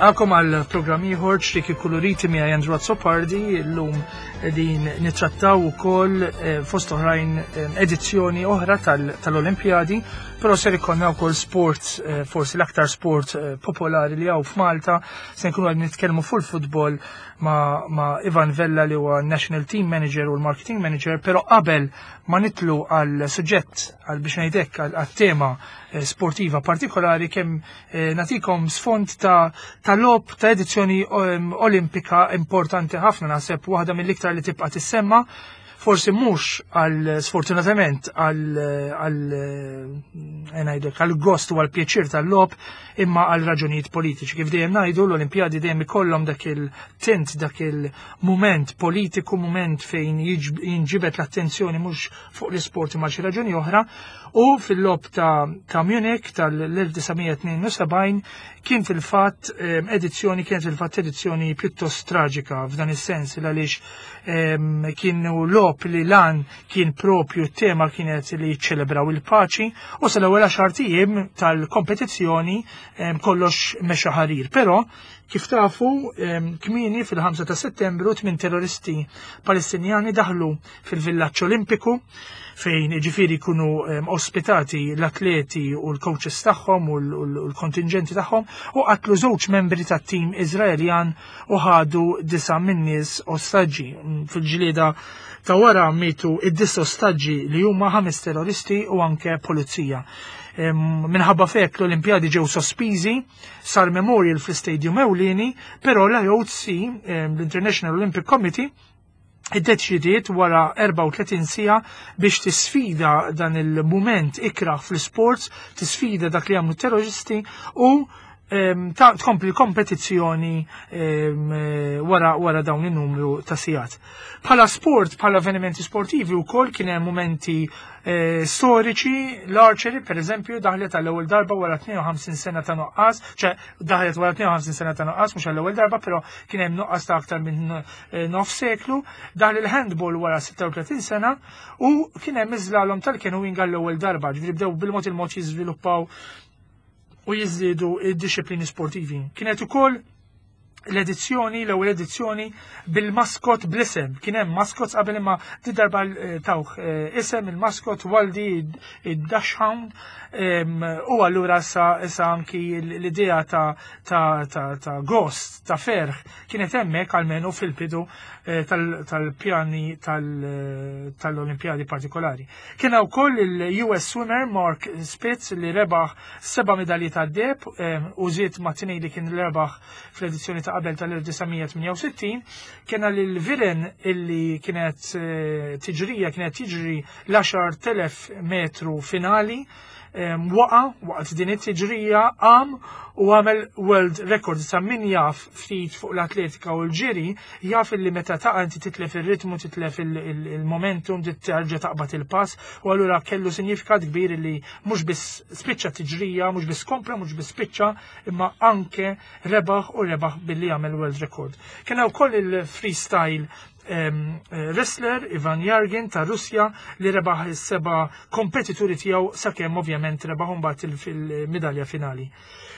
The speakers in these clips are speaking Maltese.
Nilqakom għal programm ieħor ċriki kuluriti miegħi Andrew Azzopardi llum din nittrattaw ukoll eh, fost oħrajn eh, edizzjoni oħra tal-Olimpjadi, però ser ikollna wkoll sport eh, forsi l-aktar sport popolari li hawn f'Malta, se nkunu qed nitkellmu fuq il-futbol ma', ma Ivan Vella li huwa National Team Manager u l-Marketing Manager, però qabel ma nitlu għal suġġett għal biex ngħidlek għal tema sportiva partikolari kemm Eh, natikom sfond ta' ta' lob ta' edizzjoni ehm, olimpika importanti ħafna naħseb waħda mill-iktar li tibqa' tissemma forsi mhux għal sfortunatament għal għal eh, ngħidlek għal gost u għal pjaċir tal-lob imma għal raġunijiet politiċi. Kif dejjem ngħidu l-Olimpjadi dejjem ikollhom dak il-tint, dak il-mument politiku, mument fejn jinġibet l-attenzjoni mhux fuq l-isport imma xi raġuni oħra u fil-lob ta', ta Munich tal-1972 kien fil-fatt ehm, edizzjoni kienet fil-fatt edizzjoni pjuttost traġika f'dan is-sens għaliex ehm, kienu lob li lan kien propju tema kienet li jiċċelebraw il-paċi u sal-ewwel għaxar ijiem tal-kompetizzjoni ehm, kollox mexa ħarir. Però Kif tafu, kmieni fil-5 ta' Settembru tmien terroristi Palestinjani daħlu fil-villaġġ Olimpiku fejn ġifiri jkunu ospitati l-atleti u l-coaches tagħhom u l-kontingenti tagħhom u qatlu żewġ membri tat-tim Iżraeljan u ħadu disa' min-nies ostaġġi. Fil-ġlieda ta' wara mietu id-disa ostaġġi li huma ħames terroristi u anke pulizija. Minħabba fek l-Olimpjadi ġew sospiżi Sar memorial fl-istadium ewlieni, però l-IOC, l-International Olympic Committee, iddeċidiet wara 34 sija biex tisfida dan il-mument ikraħ fl-sports, tisfida dak li għamlu terroristi u tkompli kompetizzjoni wara wara dawn in-numru ta' sigħat. Bħala sport, bħala avvenimenti sportivi wkoll kien hemm mumenti eh, storiċi, l-archery per eżempju daħlet għall-ewwel darba wara 52 sena ta' nuqqas, ċe daħlet wara 52 sena ta' nuqqas mhux għall-ewwel darba, però kien hemm nuqqas ta' aktar minn eh, nof seklu, daħlet il-handball wara 36 sena u kien hemm iżlalom tal-canoeing għall-ewwel darba, ġifieri bdew bil-mod il-mod jiżviluppaw u jiżdiedu id-disciplini sportivi. Kienet ukoll l-edizzjoni, l-ewwel edizzjoni bil-maskot bl-isem. Kien hemm maskots qabel imma di darba eh, tawh eh, isem il-maskot Waldi id-Dachshund u allura sa issa anki l-idea ta' ta' ta' ta' gost, ta' ferħ kienet hemmhekk almenu fil-bidu eh, tal-pjani tal-Olimpjadi partikolari. Kien wkoll il-US swimmer Mark Spitz li rebaħ seba' medalji tad-deheb u żied ma' tnejn li kien rebaħ fl-edizzjoni ta' qabel tal-1968. Kena lil Viren illi kienet eh, tiġrija kienet tiġri l-10,000 metru finali waqa waqt din it-tiġrija qam u għamel world record sa min jaf ftit fuq l-atletika u l-ġiri jaf illi meta taqa' inti titlef ir-ritmu, titlef il-momentum, terġa' taqbad il-pass u allura kellu sinjifikat kbir li mhux biss spiċċa tiġrija, mhux biss kompla, mhux biss spiċċa, imma anke rebaħ u rebaħ billi għamel world record. Kien wkoll il-freestyle eh, wrestler Ivan Jargin ta' Russja li rebaħ is-seba' kompetituri tiegħu sakemm ovvjament rebaħ mbagħad fil-midalja finali.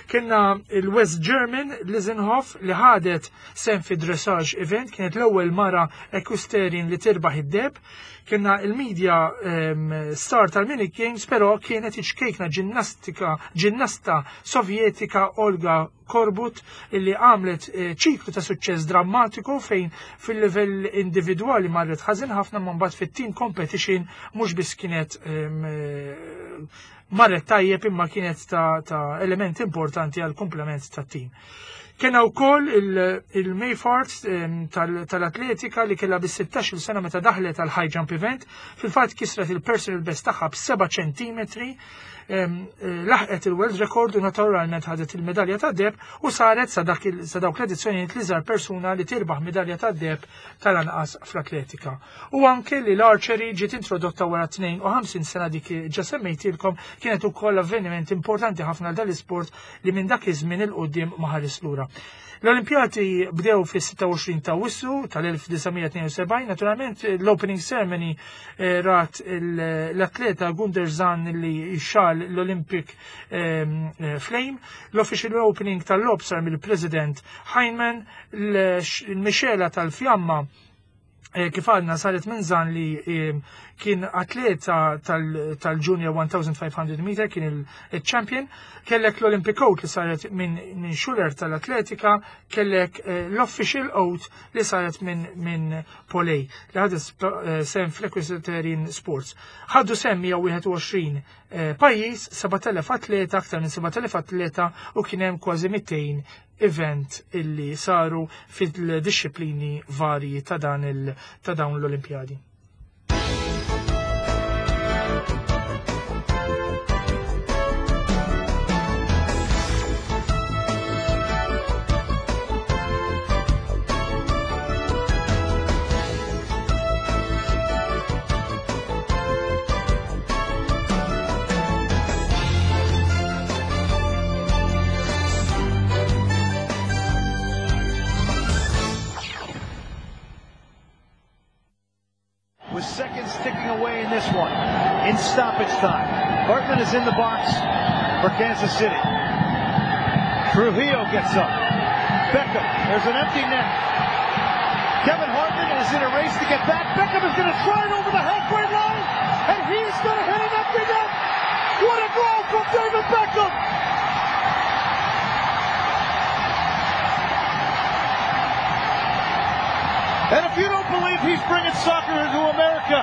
Kienna il-West German Lizenhoff li ħadet sem fi dressage event, kienet l-ewwel mara equestrian li tirbaħ id-deb. Kienna il-media um, star tal-Munich Games, però kienet iċkejkna ġinnastika, ġinnasta sovjetika Olga Korbut illi għamlet eh, ċiklu ta' suċċess drammatiku fejn fil-livell individwali marret ħażin ħafna ma mbagħad fit-team competition mhux biss kienet ehm, eh, marret tajjeb imma kienet ta', ta element importanti għal komplement tat-tim. Kena wkoll il-Mayfart tal-atletika li kellha bis 16 sena meta daħlet għal high jump event, fil-fatt kisret il-personal best tagħha b'7 ċentimetri, eh, laħqet il-world record u naturalment ħadet il-medalja ta' deb u saret sa dawk l-edizzjonijiet li żar persuna li tirbaħ medalja ta' deb tal-anqas fl-atletika. U anke li l-archery ġiet introdotta wara 52 sena dik ġa semmejtilkom kienet ukoll avveniment importanti ħafna dal-isport li minn dak iż-żmien il qudiem ma ħares lura. L-Olimpjati bdew fis-26 ta' Awwissu tal-1972, naturalment l-opening ceremony eh, rat l-atleta Gunder Zan li xal l-Olympic ehm, eh, Flame, l-official opening tal-lob sar mill-President Heinemann, l-mixela tal-fjamma Eh, kif għadna saret minn zan li eh, kien atleta tal-Junior 1500 meter, kien il-champion, kellek l-Olympic Oath li saret minn Schuller tal-atletika, kellek eh, l-Official Oath li saret minn Polej, li ħadu sem fl-Equestrian Sports. Ħadu sem 121 pajjiż, 7000 atleta, aktar minn 7000 atleta u kien hemm kważi 200 event illi saru fil-dixxiplini varji ta' dan il ta' dawn l-Olimpjadi. With seconds ticking away in this one, in stoppage time, Hartman is in the box for Kansas City. Trujillo gets up. Beckham, there's an empty net. Kevin Hartman is in a race to get back. Beckham is going to try it over the halfway line, and he's going to hit an empty net. What a goal from David Beckham! And if you don't believe he's bringing soccer to America,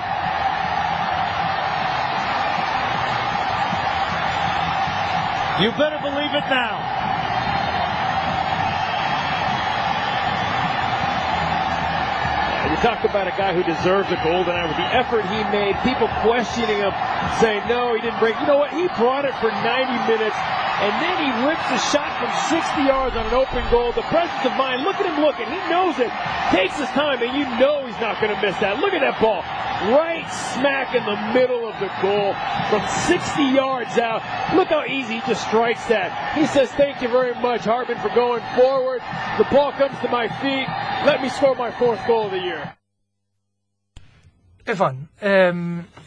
you better believe it now. You talk about a guy who deserves a golden eye with the effort he made, people questioning him, saying, no, he didn't break. You know what? He brought it for 90 minutes, and then he rips a shot from 60 yards on an open goal. The presence of mind, look at him looking. He knows it. Takes his time, and you know he's not going to miss that. Look at that ball. Right smack in the middle of the goal from 60 yards out. Look how easy he just strikes that. He says, thank you very much, Hartman, for going forward. The ball comes to my feet. Let me score my fourth goal of the year. Ivan,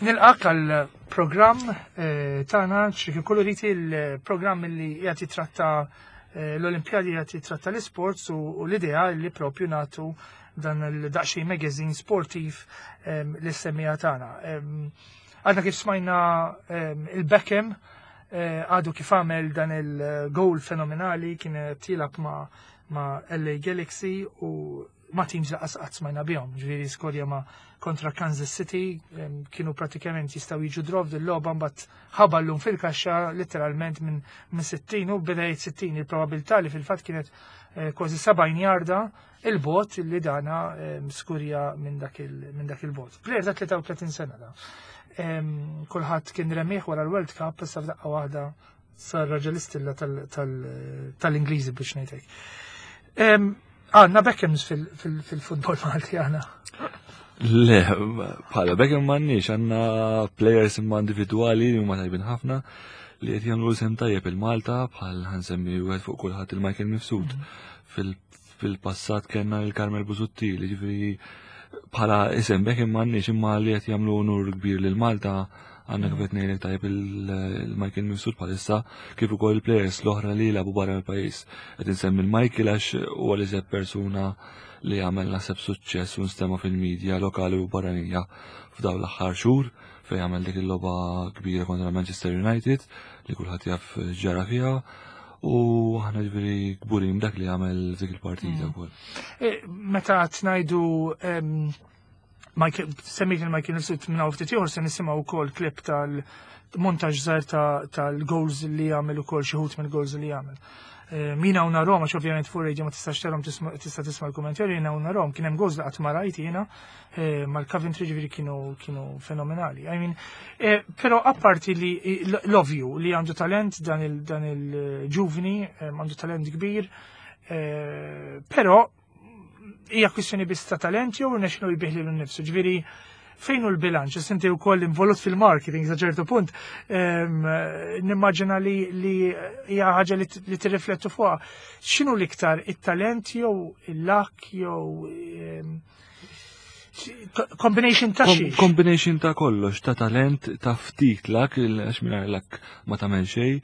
nilqak għal programm eh, tagħna xi koloriti il-programm li qed jitratta eh, l-Olimpjadi qed jitratta l-isports u l-idea li propju natu dan il-daqxej magazine sportiv l-semmija tagħna. Għadna kif smajna il-Beckham eh, għadu kif għamel dan il-goal fenomenali kien tilab ma' ma' LA Galaxy u ma' teams li qatt smajna bihom, ġifieri skorja ma' kontra Kansas City, kienu pratikament jistgħu jiġu draw dil-logħba mbagħad ħaballum fil-kaxxa letteralment minn 60 u beda jgħid 60 il-probabilità li fil-fatt kienet eh, kważi 70 jarda il-bot li dana skurja minn dak il-bot. Player ta' 33 sena da. Kulħadd kien remieħ wara l-World Cup issa f'daqqa waħda sar raġel istilla tal-Ingliżi biex ngħidlek. Għandna Beckhams fil-futbol Malti għandna. Le, bħala Beckham m'għandniex, għandna players imma individwali li huma tajbin ħafna li qed jagħmlu sem tajjeb il-Malta bħal ħansemmi wieħed fuq kulħadd il-Michael Mifsud. Mhm. Fil-passat kellna il-Carmel Busuttil, ġifieri bħala isem Beckham m'għandniex imma li qed jagħmlu unur kbir lil Malta għandna kif qed ngħidlek tajjeb il-Michael Mifsud bħalissa kif ukoll il-players l-oħra li jilagħbu barra mill-pajjiż. Qed insemmi l-Michael għax huwa l-iżjed persuna li għamel naħseb suċċess u nstema' fil-medja lokali u barranija f'dawn l-aħħar xhur fejn għamel dik il-logħba kbira kontra Manchester United li kulħadd jaf ġara fiha u aħna ġifieri kburin dak li għamel dik il-partita mm. wkoll. E, meta tnajdu semmejt il-Michael Nifsud minn hawn ftit ieħor se nisimgħu wkoll klip tal-montaġġ żgħir tal-goals li għamel ukoll xi ħut mill-goals li għamel. Eh, min hawn narhom għax ovvjament fuq radio ma tistax tarhom tista' tisma' l-kummentarji jien hawn narhom kien hemm goals li qatt ma rajt jiena eh, mal-Coventry ġifieri kienu kienu fenomenali. I mean, eh, però apparti li l-ovju li għandu talent dan il-ġuvni, għandu talent kbir, però hija kwistjoni biss ta' talent jew rnexxielu jbih lilu nnifsu. Ġifieri Fejn hu l-bilanċ? Issa inti wkoll involut fil-marketing sa ċertu punt, nimmaġina li hija ħaġa li tirriflettu fuqha. X'inhu l-iktar it-talent jew il-luck jew combination ta' xi? Combination ta' kollox, ta' talent, ta' ftit luck, għax mingħajr luck ma tagħmel xejn,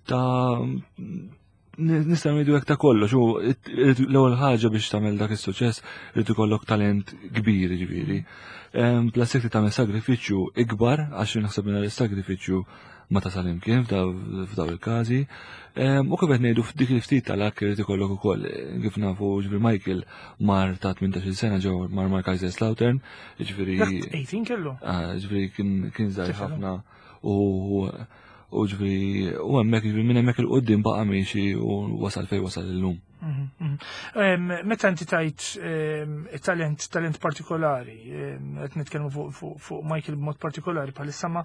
ta' nistgħu ngħidu hekk ta' kollox, u l-ewwel ħaġa biex tagħmel dak is-suċċess irid ikollok talent kbir, ġifieri. Plus jekk tagħmel sagrifiċċju ikbar għax naħseb minn is-sagrifiċċju ma tasal imkien f'daw il-każi. U kif qed ngħidu f'dik il-ftit tal-ak irid ikollok ukoll kif nafu ġifieri Michael mar ta' 18-il sena ġew mar mar Kaiserslautern, ġifieri 18 kellu. Ah, ġifieri kien żgħir ħafna u U ġifieri, u hemmhekk ġifieri minn hemmhekk il-qudiem baqa' miexi u wasal fejn wasal illum. Mhm, mhm. Meta inti tajt talent, talent partikolari, qed nitkellmu fuq Michael b'mod partikolari bħalissa ma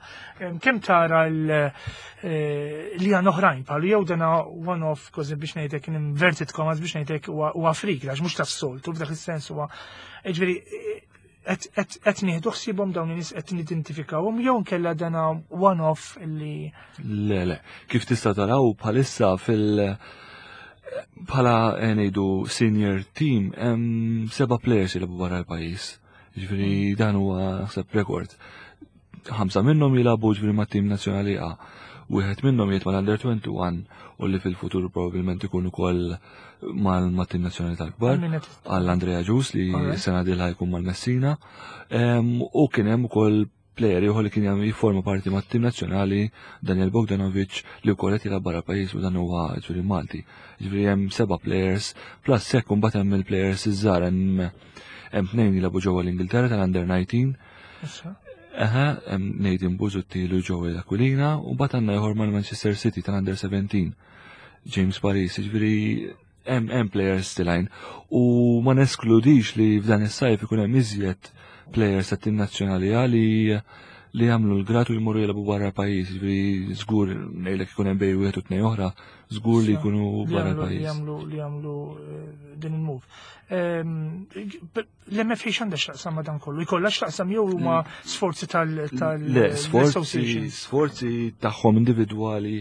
kemm tara eh, li għan oħrajn bħalu jew dana one-off kważi biex ngħidlek inverted commas biex ngħidlek huwa frik għax mhux tas-soltu f'dak is-sens huwa ġifieri qed nieħdu ħsiebhom dawn in-nies qed nidentifikawhom jew nkella dana one-off li. Le, le, kif tista' taraw bħalissa fil- bħala eh, ngħidu senior team hemm seba' players jilagħbu barra l-pajjiż. Ġifieri dan huwa naħseb rekord. Ħamsa minnhom jilagħbu ġifieri mat-tim nazzjonali A. Wieħed minnhom jgħid mal-Under 21 u li fil-futur probabbilment ikun ukoll mal-tim nazzjonali tal-kbar għall Andrea Ġus li sena dilha jkun mal-Messina. U kien hemm ukoll plejer ieħor li kien jagħmel jifforma parti mat-tim nazzjonali Daniel Bogdanovic li wkoll qed jilgħab barra pajjiż u dan huwa ġifieri Malti. Ġifieri hemm seba' players plus hekk imbagħad hemm il-players iż-żgħar hemm hemm tnejn jilagħbu ġewwa l-Ingilterra tal-Under 19. Eħe, hemm Nathan Busuttil u Joey Aquilina u mbagħad għandna ieħor mal-Manchester City tal-Under 17. James Paris, ġifieri hemm hemm players tilajn u ma neskludix li f'dan is-sajf ikun hemm iżjed players tat-tim nazzjonali li li jagħmlu l-grad u jmorru jilagħbu barra pajjiż, ġifieri żgur ngħidlek ikun hemm bejn wieħed u tnejn oħra, żgur li jkunu barra pajjiż. Li jagħmlu li jagħmlu eh, din il-move. Ehm, L-MFA x'għandha x'taqsam ma' dan kollu? Jkollha x'taqsam jew huma sforzi tal Le, sforzi sforzi tagħhom individwali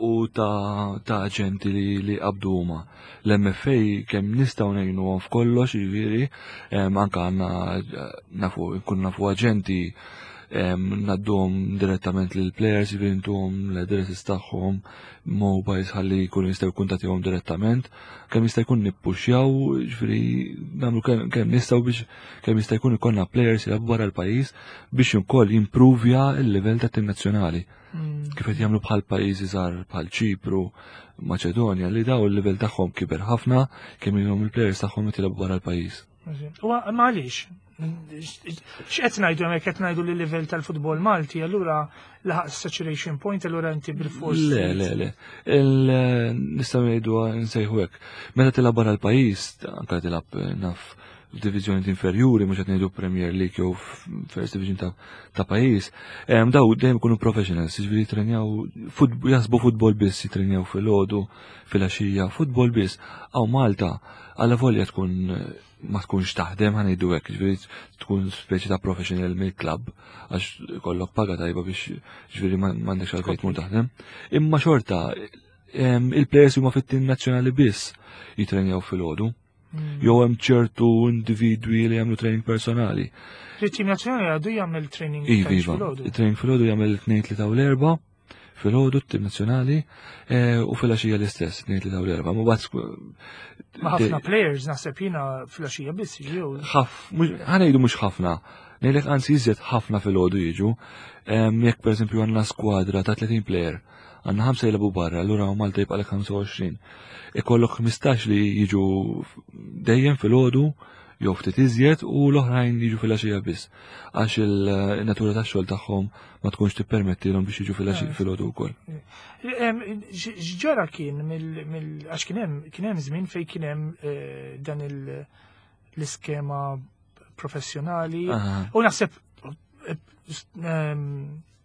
u ta' ta' aġenti li li qabdu huma. L-MFA kemm nistgħu ngħinuhom f'kollox, jiġifieri, anke għandna nafu nkunu nafu aġenti ngħadduhom direttament lill players, jiġifieri ntuhom l-addresses tagħhom, mobiles ħalli jkunu jistgħu jkuntattjahom direttament. Kemm jista' jkun nippuxjaw, ġifieri nagħmlu kemm nistgħu biex kemm jista' jkun ikollna players jilagħbu barra l-pajjiż biex ukoll jimpruvja l-livell tat-tim nazzjonali. Kif qed jagħmlu bħal pajjiżi żgħar bħal Ċipru, Maċedonja li daw il-livell tagħhom kiber ħafna kemm ilhom il-players tagħhom qed jilagħbu barra l-pajjiż. U ma għaliex? X'qed ngħidu hemmhekk qed ngħidu li livell tal-futbol Malti allura laħaq saturation point allura inti bil-fors. Le, le, le. Nistgħu ngħidu nsejħu hekk. Meta tilgħab barra l-pajjiż, anke tilgħab eh, naf f'diviżjoni inferjuri, mhux qed ngħidu Premier League jew First Division ta', ta pajjiż, daw dejjem ikunu professionals, jiġifieri jitrenjaw jaħsbu futbol biss, jitrenjaw filgħodu, filgħaxija, futbol biss. Aw Malta, alla volja tkun ma tkunx taħdem ħa ngħidu hekk, ġifieri tkun speċi ta' professional mill-klabb għax kollok paga tajba biex ġifieri m'għandekx għalfejn tmur taħdem. Imma xorta il-players huma fit-tim nazzjonali biss jitrenjaw filgħodu. Jew hemm ċertu individwi li jagħmlu training personali. Il-tim nazzjonali għadu jagħmel training iva, iva. Il-training filgħodu jagħmel tnejn tlieta u l-erba' filgħodu t-tim nazzjonali eh, u filgħaxija l-istess, tnejn tlieta u l-erba'. Ma bagħad Ma ħafna players naħseb jiena filgħaxija biss jew. Ħanejdu mhux ħafna. Ngħidlek anzi iżjed ħafna filgħodu jiġu. Jekk pereżempju għandna skwadra ta' 30 player, għandna ħamsa jilagħbu barra, allura Malta jibqalek 25. Ikollok 15 li jiġu dejjem filgħodu jew ftit iżjed u l-oħrajn jiġu filgħaxija biss għax il-natura tax-xogħol tagħhom ma tkunx tippermettilhom biex jiġu filgħodu wkoll. X'ġara kien mill għax kien hemm kien hemm żmien fejn kien hemm eh, dan l-iskema professjonali u naħseb eh,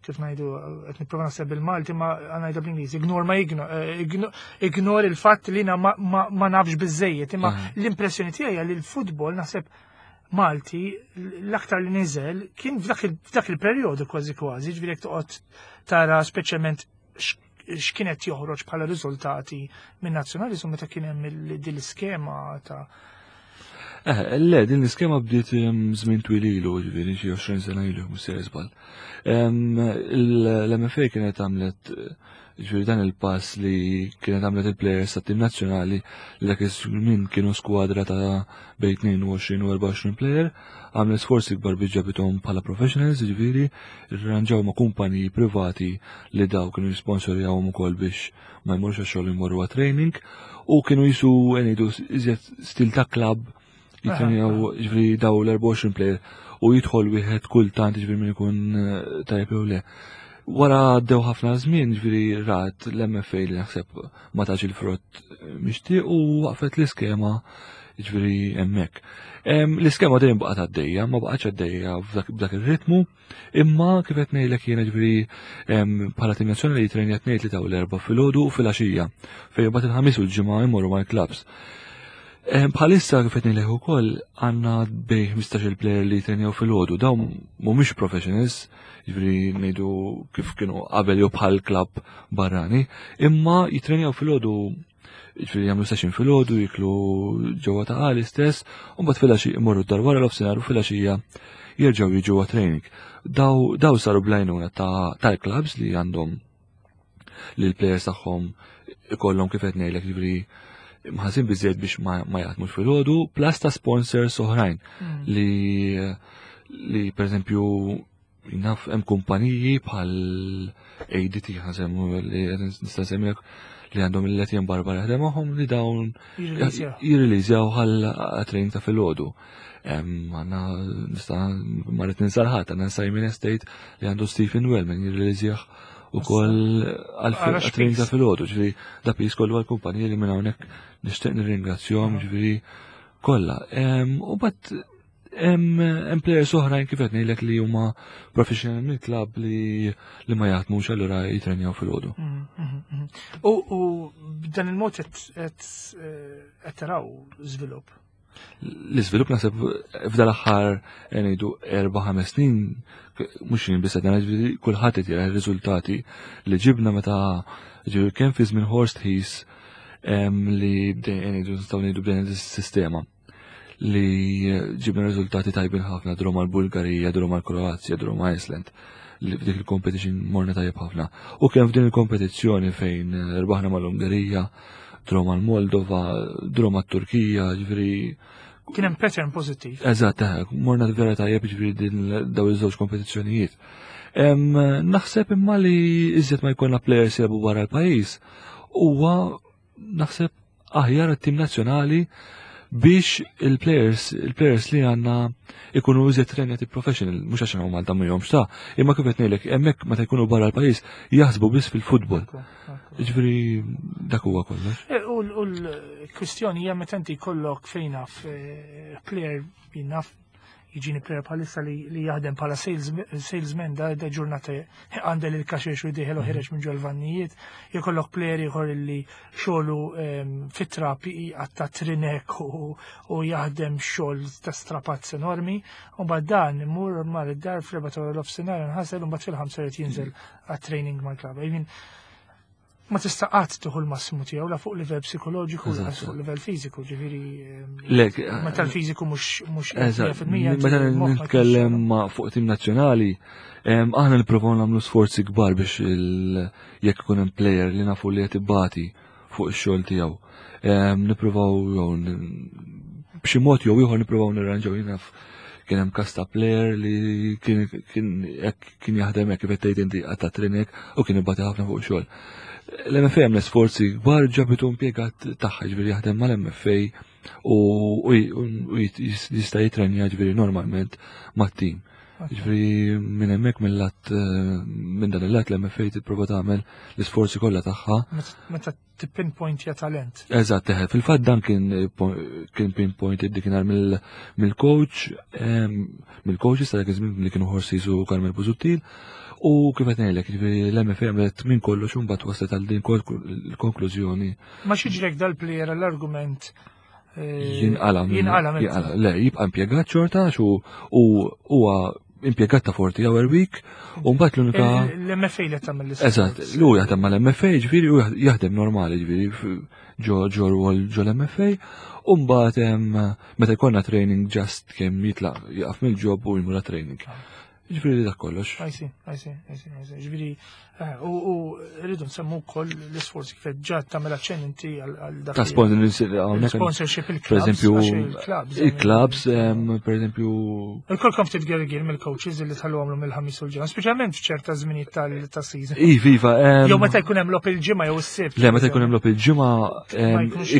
kif ngħidu qed nipprova naħseb bil-Malti ma ngħidha bl-Ingliż, ignore ma eh, ignore il-fatt li ma nafx biżejjed, imma l-impressjoni tiegħi li l-futbol naħseb Malti l-aktar li niżel kien f'dak il-perjodu kważi kważi, ġifieri jekk toqgħod tara speċjalment x'kienet joħroġ bħala riżultati minn nazzjonaliżmu meta kien hemm din l-iskema ta' Eh, le, din l-iskema bdiet żmien twil ilu, ġifieri xi 20 sena ilu, mhux se żball. L-MFA kienet għamlet Ġifieri dan il-pass li kienet għamlet il-plejers tat-tim nazzjonali li dak iż-żmien kienu skwadra ta' bejn 22 u 24 plejer, għamlet sforzi kbar biex ġabithom bħala professionals, ġifieri rranġaw ma' kumpaniji privati li daw kienu jisponsorjawhom ukoll biex ma jmorrux għax-xogħol imorru għat-training u kienu jisu ngħidu iżjed stil ta' klabb jitrenjaw ġifieri daw l-24 player u jidħol wieħed kultant ġifieri min ikun eh, tajjeb jew le. Wara għaddew ħafna żmien ġifieri rat l-MFA li naħseb ma tax il-frott eh, mixtieq u waqfet l-iskema ġifieri hemmhekk. L-iskema dejjem baqgħet għaddejja, ma baqgħetx għaddejja b'dak ir-ritmu, imma kif qed ngħidlek jiena ġifieri bħala tim nazzjonali jitrenja tnejn tlieta u l-erba' filgħodu u filgħaxija fejn imbagħad il-ħamis u l-ġimgħa jmorru mal-klabbs. Bħalissa kif qed ngħidlek ukoll għandna bej 15-il player li jitrenjaw filgħodu, dawn mhumiex professionals, jiġifieri ngħidu kif kienu qabel jew bħal klabb barrani, imma jitrenjaw filgħodu jiġifieri jagħmlu session filgħodu, jiklu ġewwa ta' għali stess, u mbagħad filgħaxija imorru d-dar wara l-ofsinhar u filgħaxija jerġgħu jiġu training. Daw, daw saru blajnuna tal-clubs li għandhom li l-plejers tagħhom ikollhom kif qed ngħidlek jiġifieri mħasin biżejjed biex ma, ma jaħdmux fil-ħodu, plus ta' sponsors oħrajn mm. li li per eżempju naf hemm kumpaniji bħal ADT ħasemmu li nista' nsemmilek li għandhom il-Letjen Barbara jaħdem magħhom li dawn jirriliżjaw għal training ta' filgħodu. Għanna nista' marret ninsarħat, għandna Simon Estate li għandu Stephen Wellman jirriliżjah u koll għal-training ta' filgħodu, ġifieri da pis kollu għal-kumpanija li minn hawnhekk nixtieq nirringrazzjahom ġifieri kollha. U bat hemm players oħrajn kif qed ngħidlek li huma professional mill-klabb li li ma jaħdmux allura jitrenjaw filgħodu. Mm, mm, mm, u b'dan il-mod qed eh, taraw żvilupp. L-iżvilupp naħseb f'dal aħħar eh, ngħidu erba' ħames snin mhux jien biss qed kulħadd qed jara r-riżultati li ġibna meta ġifieri kemm fi żmien Horst Hees li bdejna ngħidu nistgħu ngħidu bdejna dis-sistema li ġibna riżultati tajbin ħafna dru mal-Bulgarija, dru mal-Kroazja, dru ma' Iceland li f'dik il-competition morna tajjeb ħafna. U kemm f'din il-kompetizzjoni fejn rbaħna mal-Ungerija, dru mal-Moldova, dru mat-Turkija, ġifieri Kien hemm pattern pożittiv. Eżatt, eh, morna vera tajjeb ġifieri din daw iż-żewġ kompetizzjonijiet. Naħseb imma li iżjed ma jkollna players jilagħbu barra l-pajjiż huwa naħseb aħjar għat-tim nazzjonali biex il-players il-players li għandna ikunu iżjed trenjati professional, mhux għax hawn Malta mhijomx ta' imma kif qed ngħidlek hemmhekk meta jkunu barra l-pajjiż jaħsbu biss fil-futbol. Ġifieri dak huwa kollox. E, u l-kwistjoni hija meta inti jkollok fejn naf eh, player naf jiġini player bħalissa li, li jaħdem bħala salesman da, da ġurnata għandel il-kaxex u jdiħel u ħireġ minn ġol-vannijiet, jkollok player ieħor li xogħlu ehm, fit-trap għatta trinek u, u jaħdem xogħol ta' strapazz enormi, u mbagħad dan imur mar id-dar fl-erba' ta' l-ofsinhar nħasel u mbagħad fil-ħamsa jrid jinżel għat-training mal-klabb. I mean, ma tista' qatt tieħu l-massimu tiegħu la fuq livell psikoloġiku la fuq livell fiżiku, ġifieri ehm, meta l-fiżiku mhux mhux Meta nitkellem fuq tim nazzjonali, ehm, aħna nippruvaw nagħmlu sforzi kbar biex jekk ikun hemm player li nafu li qed ibati fuq ix-xogħol tiegħu. Ehm, nippruvaw b'xi mod jew ieħor nippruvaw nirranġaw jien naf kien hemm każ ta' player li kien kien jaħdem hekk kif qed tgħid inti qatta' trinek u kien ibati ħafna fuq xogħol. L-MFA għamlet sforzi kbar ġabitu impjegat tagħha ġifieri jaħdem mal-MFA u jista' jitrenja ġifieri normalment mat-tim. Ġifieri minn hemmhekk mill-lat minn dan il-lat l-MFA tipprova tagħmel l-isforzi kollha tagħha. Meta tippinpointja talent. Eżatt, eħe, fil-fatt dan kien kien pinpointed dikinhar mill-coach, mill-coach issa dak iż-żmien li kienu Horses u Carmel Busuttil. U kif qed ngħidlek, jiġifieri l-MFA għamlet minn kollox u mbagħad waslet għal din il-konklużjoni. Ma xiġrek dal-player l-argument Jinqala. Jinqala. Le, jibqa' impjegat xorta u huwa impjegat ta' 40 hour week u mbagħad l-unika. L-MFA li tagħmel l Eżatt, lu jaħdem mal-MFA ġifieri u jaħdem normali ġifieri ġo ġo rwol ġo l-MFA u mbagħad meta jkollna training just kemm jitlaq jaqaf mill-ġob u jmur training. Ġifieri dak kollox. I see, I see, I see, I see. Ġifieri, eh, u rridu nsemmu wkoll l-isforzi kif ġa tagħmel aċċenn inti għal dak. Ta' sponsorship il-clubs. Per eżempju, il-clubs, per eżempju. Il-kolkom ftit gergir mill-coaches li tħallu għamlu mill-ħamis u l-ġimgħa, speċjalment f'ċerta żminijiet tal-season. Iva, iva. Jew meta jkun hemm logħob il-ġimgħa jew is-sibt. Le, meta jkun hemm logħob il-ġimgħa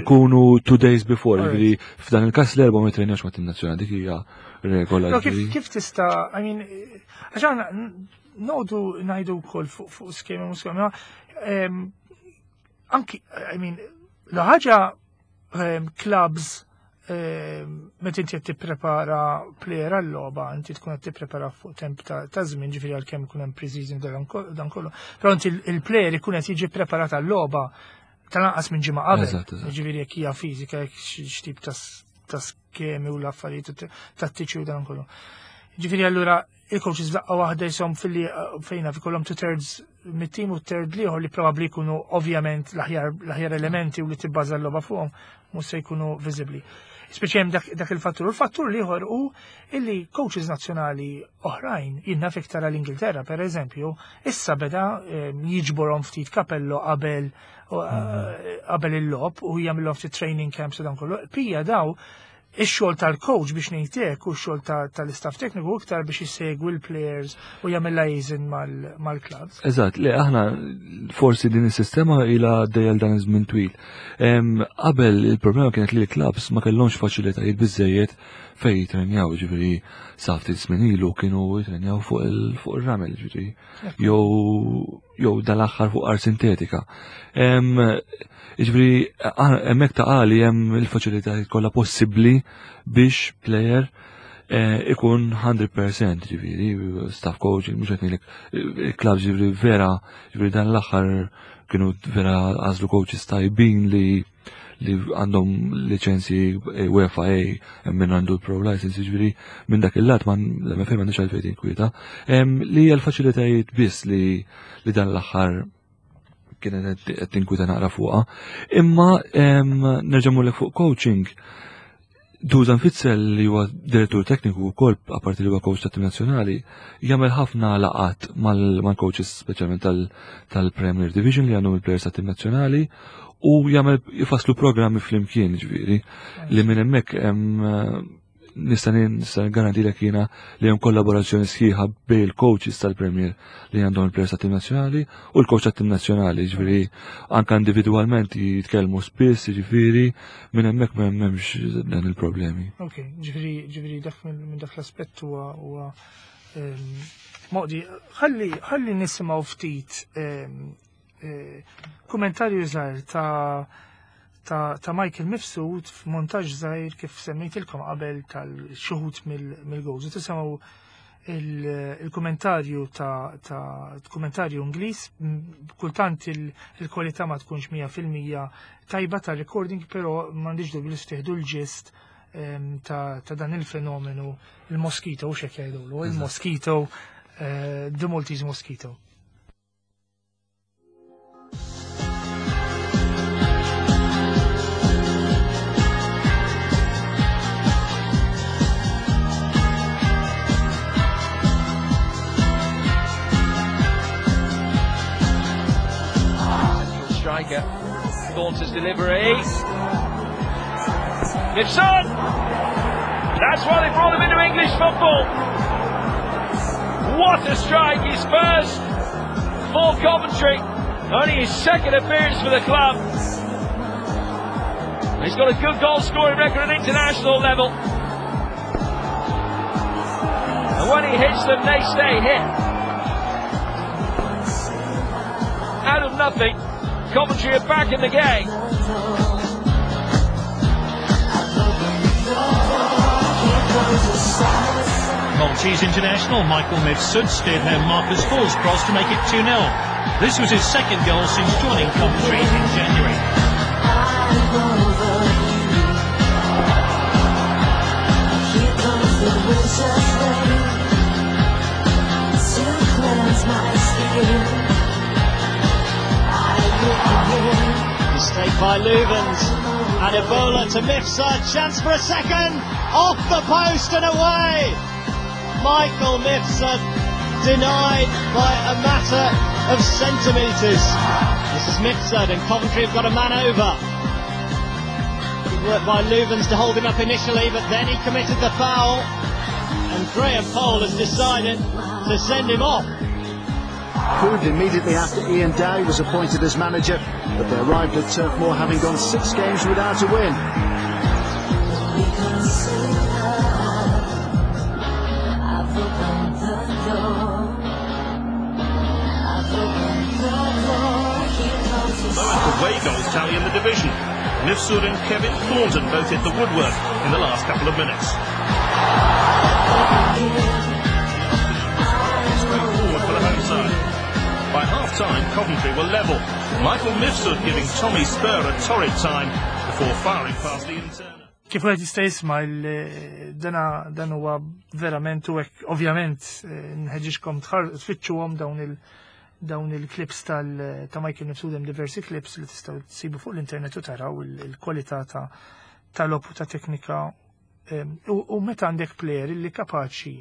ikunu two days before, ġifieri f'dan il-każ l-erba' ma jitrenjax ma' tim nazzjonali dik hija regola. Kif tista' I mean, għax noqdu ngħidu wkoll fuq skemi u skemi, anki, I mean, la ħaġa clubs meta inti qed tipprepara player għal-logħba, inti tkun qed tipprepara fuq temp ta' żmien, ġifieri għalkemm ikun hemm pre-season dan kollu. Però inti il-player ikun qed jiġi preparat għal-logħba tal-anqas minn ġimgħa qabel. Ġifieri jekk hija fiżika jekk x'tip ta' skemi u l-affarijiet tattiċi u dan kollu. Ġifieri allura il-coaches f'daqqa waħda jisom fil-li eh, fejna fi kollhom two thirds mit-tim u third liħor li probabbli jkunu ovvjament l-aħjar elementi u li tibbaża l-logħba fuqhom mhux se jkunu viżibbli. Speċi hemm dak il-fattur. U l-fattur liħor hu illi coaches nazzjonali oħrajn, jinnaf iktar għall-Ingilterra per eżempju, issa beda eh, jiġborhom ftit kapello qabel eh, qabel il-lob u jagħmilhom ftit training camps u dan kollu. Pija daw ix-xogħol tal-coach biex ngħidlek u x-xogħol tal-istaff tekniku iktar biex isegwi l-players u jagħmel liaison mal-clubs. Eżatt, li aħna forsi din is-sistema ilha għaddejja dan iż-żmien twil. Qabel il-problema kienet li l-clubs ma kellhomx faċilitajiet biżejjed fejn jitrenjaw, ġifieri sa ftit żmien ilu kienu jitrenjaw fuq ir-ramel, ġifieri jew jew dal-aħħar fuq art sintetika. Ġifieri hemmhekk ta' għali hemm il-faċilitajiet kollha possibbli biex player eh, ikun 100% ġifieri staff coaching mhux qed ngħidlek il-klabb ġifieri vera ġifieri dan l-aħħar kienu vera għażlu coaches tajbin li li għandhom liċenzji eh, UEFA A hemm min għandu l-pro license, jiġifieri minn dak il-lat ma l-MFA m'għandix għalfejn tinkwieta. Li hija l-faċilitajiet biss li li dan l-aħħar kienet qed tinkwita naqra fuqha. Imma nerġa' mmurlek fuq coaching. Dusan Fitzel li huwa direttur tekniku wkoll apparti li huwa coach tat-tim nazzjonali, jagħmel ħafna laqat mal-coaches speċjalment tal-Premier Division li għandhom il-players tat-tim nazzjonali u jagħmel jfasslu programmi flimkien ġifieri li minn hemmhekk hemm nista' nista' garantilek jiena li hemm kollaborazzjoni sħiħa bejn il-coaches tal-Premier li għandhom il-players tat-tim nazzjonali u l-coach tat-tim nazzjonali, ġifieri anke individwalment jitkellmu spiss, ġifieri minn hemmhekk ma hemmx dan il-problemi. Ok, ġifieri ġifieri dak minn dak l-aspett huwa huwa ehm, moqdi, ħalli ħalli nisimgħu ftit ehm, eh, kummentarju żgħir ta' ta', ta Michael Mifsud f'montaġġ żgħir kif semmejtilkom qabel tal-xuħut mill-goals. Tisimgħu il-kummentarju ta', ta kummentarju Ingliż, kultant il-kwalità ma tkunx 100% tajba ta' recording, però m'għandix dubju li stieħdu l-ġist ehm, ta', ta dan il-fenomenu il-mosquito, u xek jgħidulu, il-mosquito, eh, the Maltese mosquito. Striker. Thornton's delivery. Nipson! That's why they brought him into English football. What a strike! His first for Coventry. Only his second appearance for the club. He's got a good goal scoring record at international level. And when he hits them, they stay hit. Out of nothing, Coventry are back in the game. Maltese international Michael Mifsud steered home Marcus Hall's cross to make it 2-0. This was his second goal since joining Coventry in January. Saved by Loovens. And Ebola to Mifsud. Chance for a second. Off the post and away. Michael Mifsud denied by a matter of centimetres. This is Mifsud and Coventry have got a man over. Good work by Loovens to hold him up initially, but then he committed the foul. And Graham Poll has decided to send him off. Proved immediately after Ian Dowie was appointed as manager, but they arrived at Turf Moor having gone six games without a win. Lowest away goals tally in the division. Mifsud and Kevin Thornton both hit the woodwork in the last couple of minutes. Straightforward for the home side. By half-time, Coventry were level. Michael Mifsud giving Tommy Spurr a torrid time before firing past Ian Turner. Kif wieħed jista' jisma' dana dan huwa verament u hekk ovvjament eh, nħeġġixkom tfittxuhom dawn il- dawn il-clips tal ta' Michael Mifsud hemm diversi clips li tistgħu tsibu fuq l-internet u taraw il-kwalità ta' tal-logħob ta' teknika u meta għandek player li kapaċi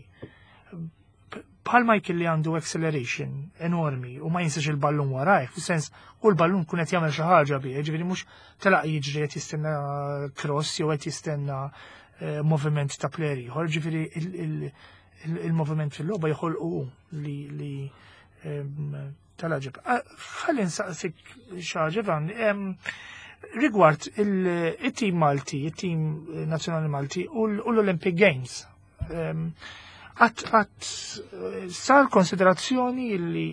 bħal Michael li għandu acceleration enormi u ma jinsax il-ballun warajh, fis-sens u l-ballun kun qed jagħmel xi ħaġa bih, ġifieri mhux telaq jiġri qed jistenna cross jew qed jistenna eh, moviment ta' player ieħor, ġifieri il-moviment fil-logħba joħolqu li tal-ġib. Ah, ħalli nsaqsik xi ħaġa Van, rigward il-tim Malti, il-tim nazzjonali Malti u l-Olympic Games. Għat għat sar konsiderazzjoni li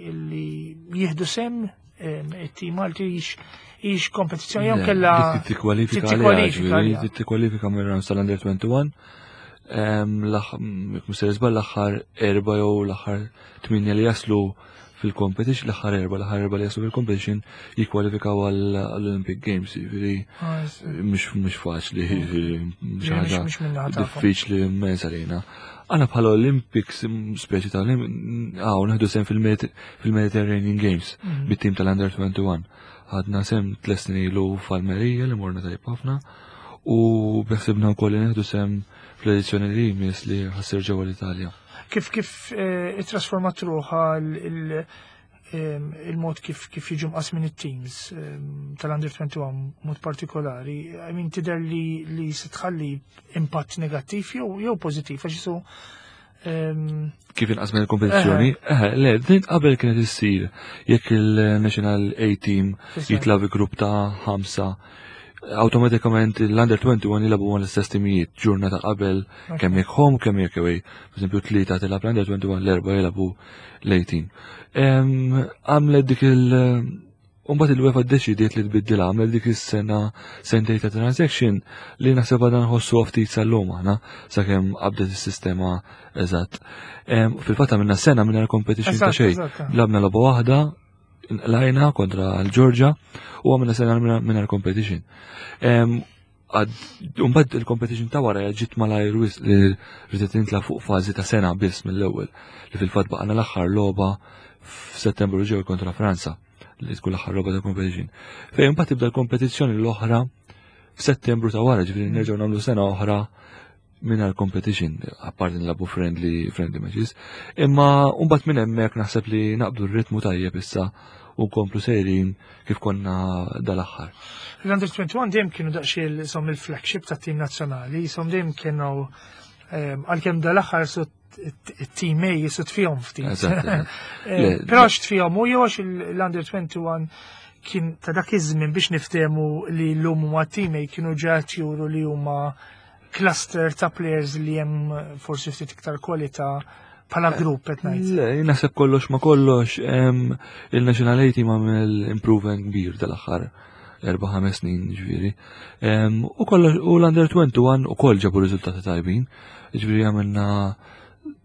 jihdu sem it-tim Malti jiex kompetizzjoni jew kella tikkwalifika tikkwalifika mir-round tal-Under 21 Mr. Iżbal l-aħħar erba' jew l-aħħar tminja li jaslu fil-competition, l-aħħar erba, l-aħħar erba li jaslu fil-competition jikkwalifikaw għall-Olympic Games, jiġifieri ah, mhux faċli, jiġifieri xi ħaġa diffiċli immens għalina. Għana bħala Olympics, speċi ta' għaw, naħdu sem fil-Mediterranean Games, mhm. bit-tim tal-Under 21. Ħadna sem tles ilu f'Almerija li morna tajb ħafna u beħsibna wkoll li neħdu sem fl-edizzjoni li jmiss li ħassir ġewwa l-Italja. Kif kif eh, ittrasformat ruħha ehm, il-mod kif kif jiġu mqasmin it-teams ehm, tal-Under 21 mod partikolari, I mean tidher li li se tħalli impatt negattiv jew jew pożittiv għax isu ehm, kif inqas minn il-kompetizzjoni? Eh, le, din qabel kienet issir jekk il-National A Team jitla bi grupp ta' ħamsa automatikament l-under 21 jilabu għan l-istess timijiet ġurnata qabel kemm jekk home kemm jekk away. Per esempio tlieta tilab l-under 21 l-erba jilabu l-18. Għamlet dik il- Umbat il-UEFA ddeċidiet li tbiddilha għamlet dik is-sena sentej ta' transaction li naħseb għadha nħossu ftit sal-lum aħna sakemm qabdet is-sistema eżatt. Fil-fatt għamilna sena mingħajr competition ta' xejn. Labna logħba waħda lajna kontra l-Ġorġa u għamilna sena mingħajr competition. Umbad il-competition ta' wara ġiet malajr wis li rridet nitla fuq fażi ta' sena biss mill-ewwel li fil-fatt baqgħna l-aħħar logħba f'Settembru ġew kontra Franza li tkun l-aħħar logħba ta' competition. Fejn imbagħad tibda l-kompetizzjoni l-oħra f'Settembru ta' wara, ġifieri nerġgħu nagħmlu sena oħra mingħajr competition, apparti nlabu friendly, friendly matches. Imma mbagħad minn hemmhekk naħseb li naqbdu r-ritmu tajjeb issa u nkomplu sejrin kif konna dal-aħħar. L-Under 21 dejjem kienu daqsxejn som il-flagship tat-tim nazzjonali, som dejjem kienu ehm, għalkemm dal-aħħar su it-team A jisu tfihom ftit. Eh, però għax tfihom u jew għax l-Under 21 kien ta' dak iż-żmien biex niftehmu li llum huma team A kienu ġat juru li huma cluster ta' players li hemm forsi ftit iktar kwalità bħala eh, grupp qed ngħid. Le, naħseb kollox ma kollox il-National A team għamel improvement kbir tal-aħħar erba' ħames snin ġifieri. U kollox u l-Under 21 ukoll ġabu riżultati tajbin. Ġifieri għamilna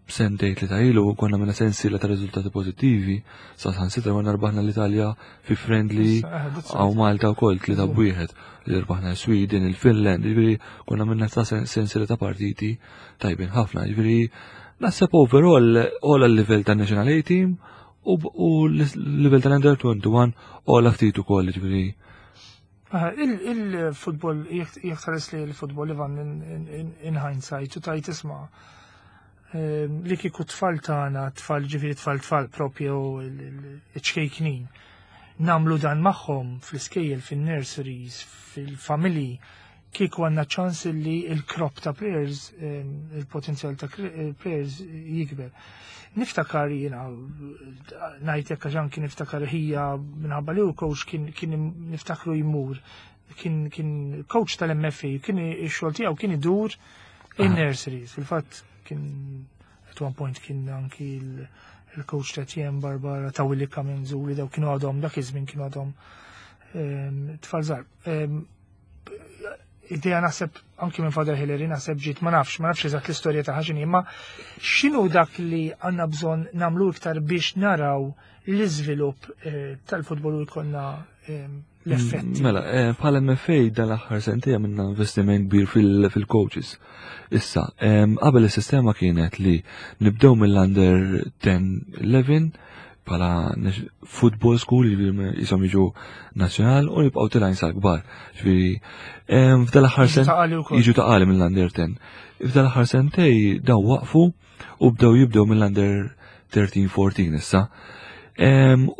sentejn li ta' ilu konna minna sensiela ta' riżultati pożittivi, sa' San Sitra konna rbaħna l-Italja fi friendly eh, għaw Malta wkoll tlieta b'wieħed li rbaħna l-Sweden, il-Finland, ġifieri konna minna ta' sensiela ta' partiti tajbin ħafna, ġifieri naħseb overall all l-livell ta' National A Team u l-livell tal-Under 21 ola ftit ukoll, ġifieri. Il-futbol, jekk tħares li l-futbol Ivan in hindsight u tajt isma' li kieku tfal tagħna, tfal ġifieri tfal tfal propju iċ-ċkejknin, namlu dan magħhom fl-iskejjel, fin-nurseries, fil-familji, kieku għandna ċans li il-crop ta' players, il-potenzjal ta' players jikber. Niftakar jiena, ngħid hekk għax anki niftakar ħija minħabba li hu coach kien niftakru jmur, kien coach tal-MFA, kien ix-xogħol tiegħu kien idur in-nurseries. Fil-fatt kien at one point kien anki il-coach ta' Tiem Barbara ta' Willi Kamenzu li daw kienu għadhom dak iż-żmien kienu għadhom tfal żgħar. Idea naħseb anki minn Father Hillary naħseb ġiet ma nafx, ma nafx eżatt l-istorja ta' ħaxini, imma x'inhu dak li għandna bżonn nagħmlu iktar biex naraw l-iżvilupp tal-futbol u jkollna l-effetti. Mela, bħala MFA dan l-aħħar sentej għamilna investiment kbir fil-coaches. Issa, qabel is-sistema kienet li nibdew mill-under 10-11 bħala football school, jiġifieri jisom jiġu nazzjonal u jibqgħu tilgħin sal-kbar. Ġifieri, f'dan l-aħħar Jiġu sen Ta' Qali wkoll. Jiġu Ta' Qali mill-under 10. F'dan l-aħħar sentej daw waqfu u bdew jibdew mill-under 13-14 issa.